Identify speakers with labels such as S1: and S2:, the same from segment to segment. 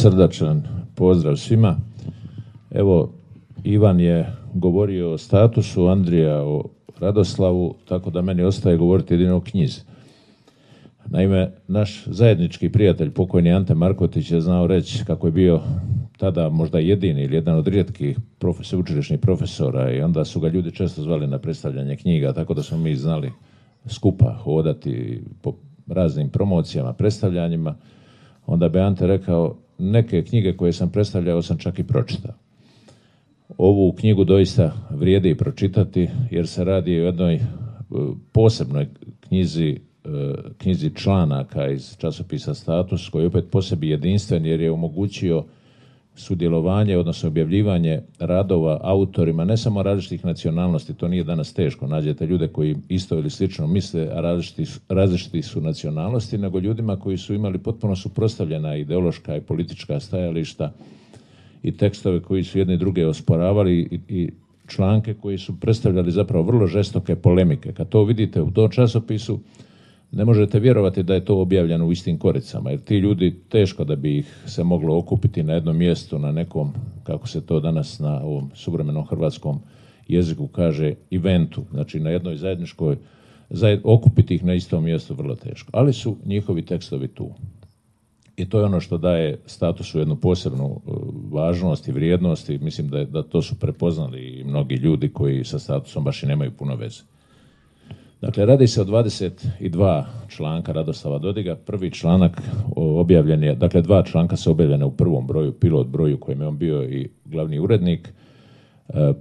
S1: srdačan pozdrav svima. Evo, Ivan je govorio o statusu, Andrija o Radoslavu, tako da meni ostaje govoriti jedino o knjizi. Naime, naš zajednički prijatelj, pokojni Ante Markotić, je znao reći kako je bio tada možda jedini ili jedan od rijetkih sveučilišnih profesora i onda su ga ljudi često zvali na predstavljanje knjiga, tako da smo mi znali skupa hodati po raznim promocijama, predstavljanjima. Onda bi Ante rekao, neke knjige koje sam predstavljao sam čak i pročitao. Ovu knjigu doista vrijedi pročitati jer se radi o jednoj posebnoj knjizi članaka iz časopisa Status, koji je opet po sebi jedinstven jer je omogućio sudjelovanje, odnosno objavljivanje radova autorima ne samo različitih nacionalnosti, to nije danas teško, nađete ljude koji isto ili slično misle, a različiti su nacionalnosti, nego ljudima koji su imali potpuno suprotstavljena ideološka i politička stajališta i tekstove koji su jedni druge osporavali i članke koji su predstavljali zapravo vrlo žestoke polemike. Kad to vidite u tom časopisu, ne možete vjerovati da je to objavljeno u istim koricama, jer ti ljudi teško da bi ih se moglo okupiti na jednom mjestu, na nekom, kako se to danas na ovom suvremenom hrvatskom jeziku kaže, eventu, znači na jednoj zajedničkoj, okupiti ih na istom mjestu vrlo teško. Ali su njihovi tekstovi tu. I to je ono što daje Statusu jednu posebnu važnost i vrijednost i mislim da to su prepoznali i mnogi ljudi koji sa Statusom baš i nemaju puno veze. Dakle, radi se o 22 članka Radoslava Dodiga. Prvi članak objavljen je, dakle 2 članka su objavljene u prvom broju, pilot broju kojem je on bio i glavni urednik.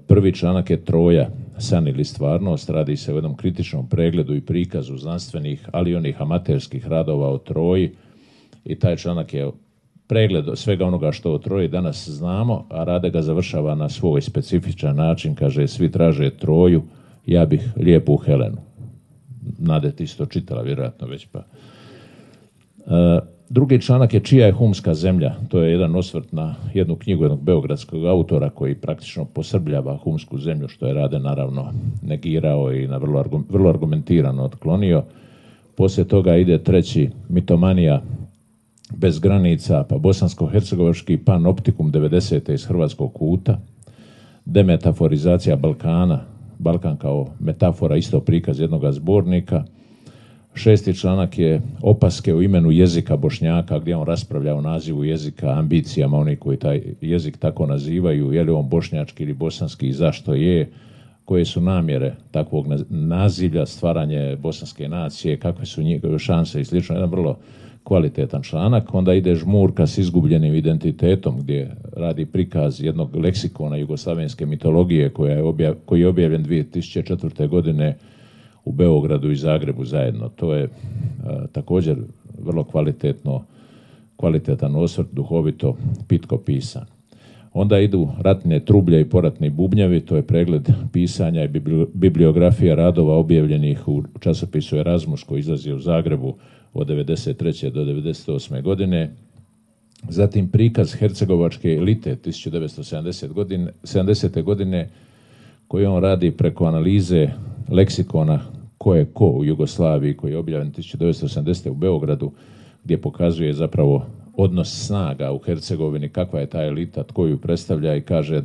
S1: Prvi članak je Troja, san ili stvarnost. Radi se o jednom kritičnom pregledu i prikazu znanstvenih, ali i onih amaterskih radova o Troji. I taj članak je pregled svega onoga što o Troji danas znamo, a Rade ga završava na svoj specifičan način. Kaže, svi traže Troju, ja bih lijepu Helenu. Nade, ti si to čitala vjerojatno već pa. Drugi članak je Čija je humska zemlja. To je jedan osvrt na jednu knjigu jednog beogradskog autora koji praktično posrbljava humsku zemlju, što je Rade naravno negirao i na vrlo argumentirano otklonio. Poslije toga ide treći, Mitomanija bez granica, pa bosansko-hercegovački panoptikum 90. iz hrvatskog kuta, demetaforizacija Balkana, Balkan kao metafora, isto prikaz jednoga zbornika. 6. članak je Opaske u imenu jezika Bošnjaka, gdje on raspravlja o nazivu jezika, ambicijama onih koji taj jezik tako nazivaju, je li on bošnjački ili bosanski i zašto je, koje su namjere takvog nazivlja, stvaranje bosanske nacije, kakve su njegove šanse i slično. Jedan vrlo kvalitetan članak. Onda ide Žmurka s izgubljenim identitetom, gdje radi prikaz jednog leksikona jugoslavenske mitologije koji je objavljen 2004. godine u Beogradu i Zagrebu zajedno. To je također vrlo kvalitetan osvrt, duhovito, pitko pisan. Onda idu Ratne trublje i poratni bubnjavi, to je pregled pisanja i bibliografija radova objavljenih u časopisu Erasmus koji izlazi u Zagrebu od 1993. do 1998. godine. Zatim prikaz hercegovačke elite 1970. godine koji on radi preko analize leksikona ko je ko u Jugoslaviji koji je objavljen 1980. u Beogradu, gdje pokazuje zapravo odnos snaga u Hercegovini, kakva je ta elita, tko ju predstavlja i kaže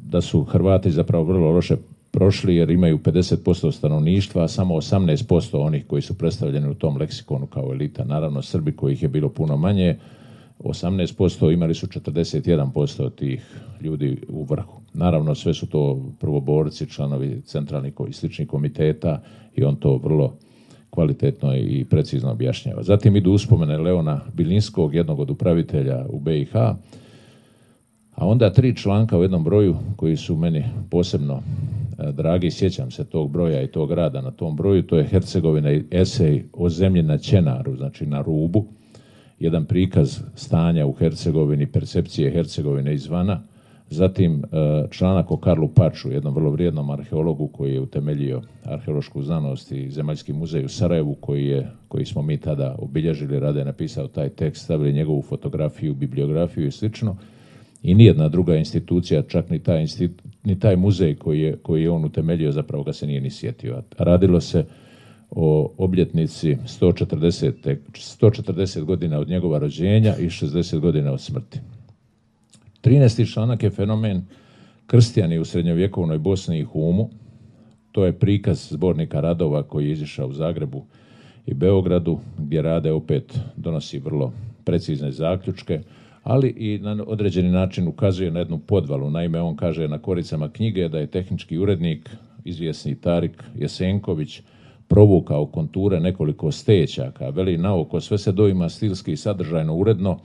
S1: da su Hrvati zapravo vrlo loše prošli jer imaju 50% stanovništva, a samo 18% onih koji su predstavljeni u tom leksikonu kao elita. Naravno, Srbi kojih je bilo puno manje, 18%, imali su 41% tih ljudi u vrhu. Naravno, sve su to prvoborci, članovi centralnih i sličnih komiteta i on to vrlo kvalitetno i precizno objašnjava. Zatim idu uspomene Leona Bilinskog, jednog od upravitelja u BiH, a onda 3 članka u jednom broju koji su meni posebno dragi, sjećam se tog broja i tog rada na tom broju, to je Hercegovina i esej o zemlji na Ćenaru, znači na rubu, jedan prikaz stanja u Hercegovini, percepcije Hercegovine izvana, zatim članak o Karlu Paču, jednom vrlo vrijednom arheologu koji je utemeljio arheološku znanost i Zemaljski muzej u Sarajevu, koji smo mi tada obilježili. Rade je napisao taj tekst, stavili njegovu fotografiju, bibliografiju i slično. I nijedna druga institucija, čak ni taj muzej koji je on utemeljio, zapravo ga se nije ni sjetio. Radilo se o obljetnici 140 godina od njegova rođenja i 60 godina od smrti. 13. članak je fenomen kršćani u srednjovjekovnoj Bosni i Humu. To je prikaz zbornika radova koji je izišao u Zagrebu i Beogradu, gdje Rade opet donosi vrlo precizne zaključke, ali i na određeni način ukazuje na jednu podvalu. Naime, on kaže na koricama knjige da je tehnički urednik, izvjesni Tarik Jesenković, provukao konture nekoliko stećaka. Veli, naoko sve se doima stilski i sadržajno uredno,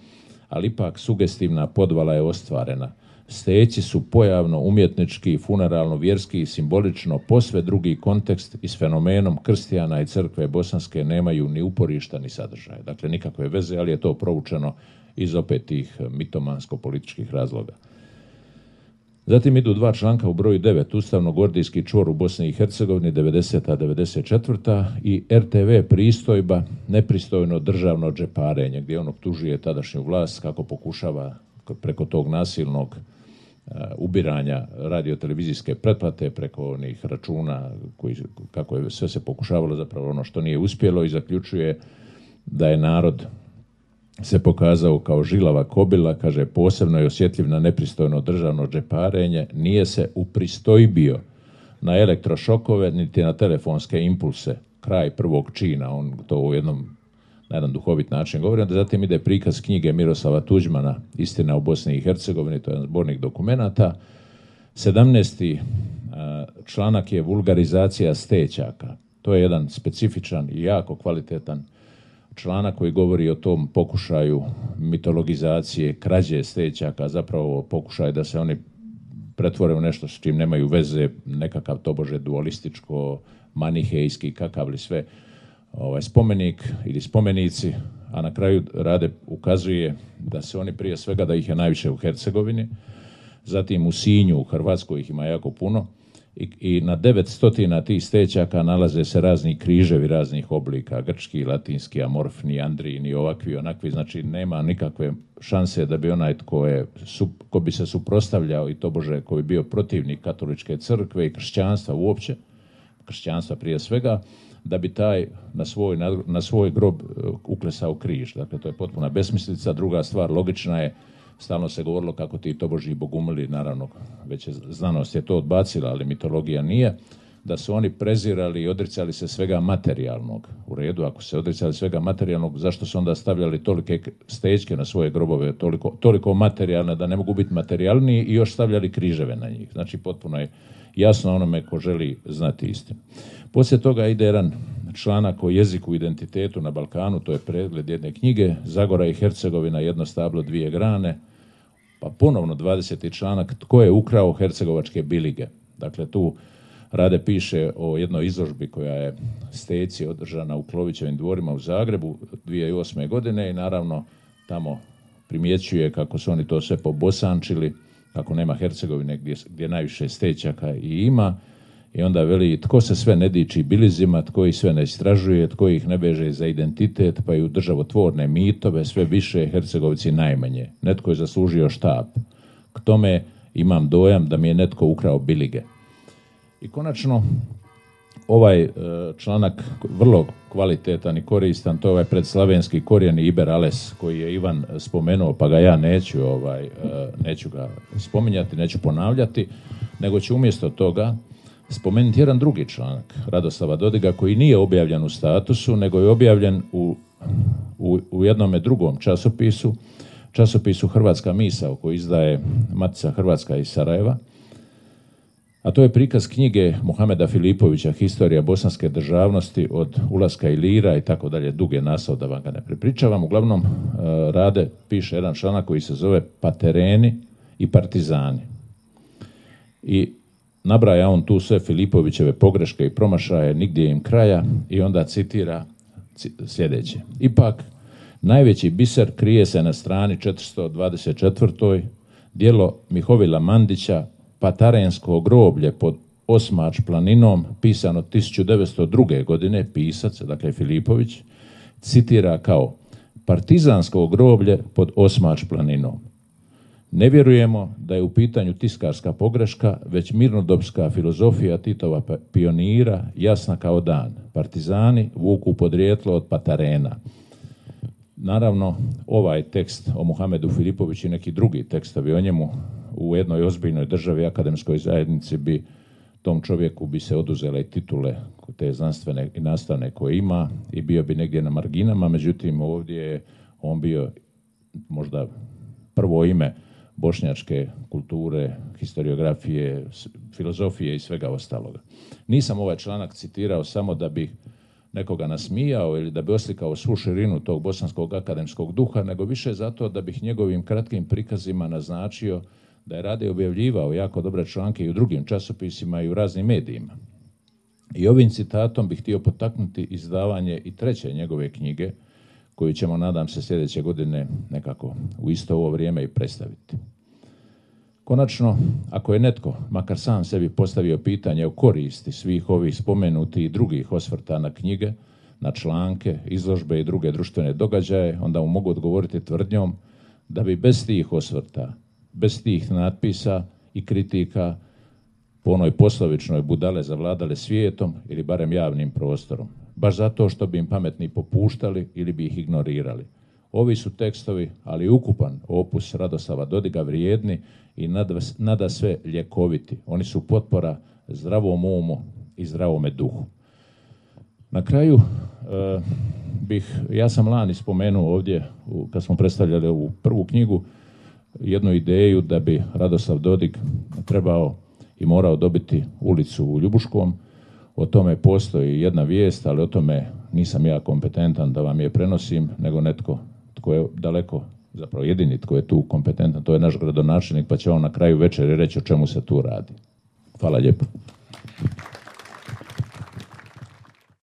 S1: ali ipak sugestivna podvala je ostvarena. Steći su pojavno, umjetnički, funeralno, vjerski i simbolično posve drugi kontekst i s fenomenom krstijana i crkve bosanske nemaju ni uporišta ni sadržaja. Dakle, nikakve veze, ali je to provučeno iz opet tih mitomansko-političkih razloga. Zatim idu dva članka u broju 9, Ustavno-gordijski čvor u Bosni i Hercegovini 90-94 i RTV pristojba, nepristojno državno džeparenje, gdje on optužuje tadašnju vlast kako pokušava preko tog nasilnog ubiranja radiotelevizijske pretplate, preko onih računa, kako je sve se pokušavalo, zapravo ono što nije uspjelo, i zaključuje da je narod se pokazao kao žilava kobila, kaže, posebno je osjetljiv na nepristojno državno džeparenje, nije se upristojbio na elektrošokove niti na telefonske impulse, kraj prvog čina, on to na jedan duhovit način govori. Onda zatim ide prikaz knjige Miroslava Tuđmana Istina u Bosni i Hercegovini, to je jedan zbornik dokumenata. 17. članak je vulgarizacija stećaka. To je jedan specifičan i jako kvalitetan članak koji govori o tom pokušaju mitologizacije, krađe stećaka, zapravo pokušaj da se oni pretvore u nešto s čim nemaju veze, nekakav tobože dualističko, manihejski, kakav li sve spomenik ili spomenici, a na kraju Rade ukazuje da se oni prije svega, da ih je najviše u Hercegovini, zatim u Sinju, u Hrvatskoj ih ima jako puno, i na 900 tih stećaka nalaze se razni križevi raznih oblika, grčki, latinski, amorfni, andrijini, ovakvi, onakvi, znači nema nikakve šanse da bi onaj ko bi se suprotstavljao i tobože ko bi bio protivnik katoličke crkve i kršćanstva uopće, kršćanstva prije svega, da bi taj na svoj grob uklesao križ. Dakle, to je potpuna besmislica. Druga stvar, logična je, stalno se govorilo kako ti tobožji bogumili, naravno, već je znanost je to odbacila, ali mitologija nije, da su oni prezirali i odricali se svega materijalnog. U redu, ako se odricali svega materijalnog, zašto su onda stavljali tolike stećke na svoje grobove, toliko materijalne da ne mogu biti materijalniji, i još stavljali križeve na njih. Znači, potpuno je jasno onome ko želi znati istinu. Poslije toga ide jedan članak o jeziku i identitetu na Balkanu, to je pregled jedne knjige, Zagora i Hercegovina, jedno stablo, dvije grane, pa ponovno 20. članak, tko je ukrao hercegovačke bilige. Dakle, tu Rade piše o jednoj izložbi koja je Steci održana u Klovićevim dvorima u Zagrebu 2008. godine i naravno tamo primjećuje kako su oni to sve pobosančili, kako nema Hercegovine gdje najviše stećaka i ima, i onda veli tko se sve ne diči bilizima, tko ih sve ne istražuje, tko ih ne veže za identitet, pa i u državotvorne mitove, sve više, Hercegovci najmanje. Netko je zaslužio štap. K tome imam dojam da mi je netko ukrao bilige. I konačno, ovaj članak vrlo kvalitetan i koristan, to je ovaj predslavenski korijeni Iber Ales, koji je Ivan spomenuo, pa ga ja neću ga spominjati, neću ponavljati, nego ću umjesto toga spomenuti jedan drugi članak Radoslava Dodiga koji nije objavljen u Statusu, nego je objavljen u jednome drugom časopisu Hrvatska misao, koji izdaje Matica Hrvatska iz Sarajeva, a to je prikaz knjige Muhameda Filipovića Historija bosanske državnosti od ulaska Ilira i tako dalje, duge naslov da vam ga ne prepričavam. Uglavnom, Rade piše jedan članak koji se zove Patereni i partizani. I nabraja on tu sve Filipovićeve pogreške i promašaje, nigdje im kraja, i onda citira sljedeće. Ipak, najveći biser krije se na strani 424. djelo Mihovila Mandića, Patarensko groblje pod Osmač planinom, pisano 1902. godine, pisac, dakle Filipović, citira kao partizansko groblje pod Osmač planinom. Ne vjerujemo da je u pitanju tiskarska pogreška, već mirnodopska filozofija Titova pionira, jasna kao dan. Partizani vuku podrijetlo od Patarena. Naravno, ovaj tekst o Muhamedu Filipoviću i neki drugi tekstovi o njemu u jednoj ozbiljnoj državi, akademskoj zajednici bi tom čovjeku bi se oduzele i titule te znanstvene i nastavne koje ima i bio bi negdje na marginama, međutim ovdje je on bio možda prvo ime bošnjačke kulture, historiografije, filozofije i svega ostaloga. Nisam ovaj članak citirao samo da bih nekoga nasmijao ili da bi oslikao svu širinu tog bosanskog akademskog duha, nego više zato da bih njegovim kratkim prikazima naznačio da je Rade objavljivao jako dobre članke i u drugim časopisima i u raznim medijima. I ovim citatom bih htio potaknuti izdavanje i treće njegove knjige, koju ćemo, nadam se, sljedeće godine nekako u isto ovo vrijeme i predstaviti. Konačno, ako je netko, makar sam sebi postavio pitanje o koristi svih ovih spomenutih i drugih osvrta na knjige, na članke, izložbe i druge društvene događaje, onda mu mogu odgovoriti tvrdnjom da bi bez tih osvrta, bez tih natpisa i kritika po onoj poslovičnoj budale zavladale svijetom ili barem javnim prostorom. Baš zato što bi im pametni popuštali ili bi ih ignorirali. Ovi su tekstovi, ali ukupan opus Radoslava Dodiga vrijedni i nada sve ljekoviti. Oni su potpora zdravom umu i zdravome duhu. Na kraju ja sam lani spomenuo ovdje, kad smo predstavljali ovu prvu knjigu, jednu ideju da bi Radoslav Dodig trebao i morao dobiti ulicu u Ljubuškom. O tome postoji jedna vijest, ali o tome nisam ja kompetentan da vam je prenosim, nego netko tko je daleko, zapravo jedini tko je tu kompetentan, to je naš gradonačelnik, pa će on na kraju večeri reći o čemu se tu radi. Hvala lijepo.